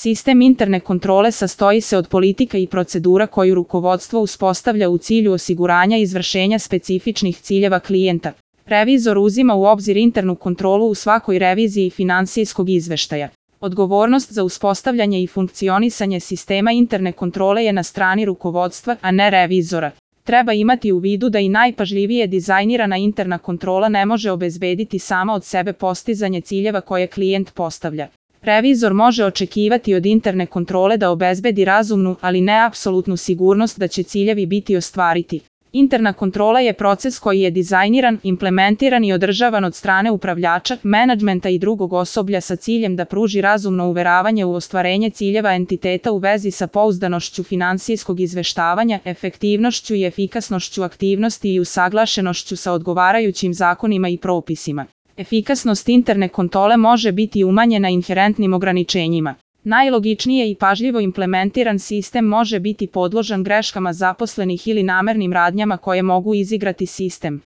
Sistem interne kontrole sastoji se od politika i procedura koju rukovodstvo uspostavlja u cilju osiguranja izvršenja specifičnih ciljeva klijenta. Revizor uzima u obzir internu kontrolu u svakoj reviziji finansijskog izveštaja. Odgovornost za uspostavljanje i funkcionisanje sistema interne kontrole je na strani rukovodstva, a ne revizora. Treba imati u vidu da i najpažljivije dizajnirana interna kontrola ne može obezbediti sama od sebe postizanje ciljeva koje klijent postavlja. Revizor može očekivati od interne kontrole da obezbedi razumnu, ali ne apsolutnu sigurnost da će ciljevi biti ostvariti. Interna kontrola je proces koji je dizajniran, implementiran i održavan od strane upravljača, menadžmenta i drugog osoblja sa ciljem da pruži razumno uveravanje u ostvarenje ciljeva entiteta u vezi sa pouzdanošću finansijskog izveštavanja, efektivnošću i efikasnošću aktivnosti i usaglašenošću sa odgovarajućim zakonima i propisima. Efikasnost interne kontrole može biti umanjena inherentnim ograničenjima. Najlogičnije i pažljivo implementiran sistem može biti podložan greškama zaposlenih ili namernim radnjama koje mogu izigrati sistem.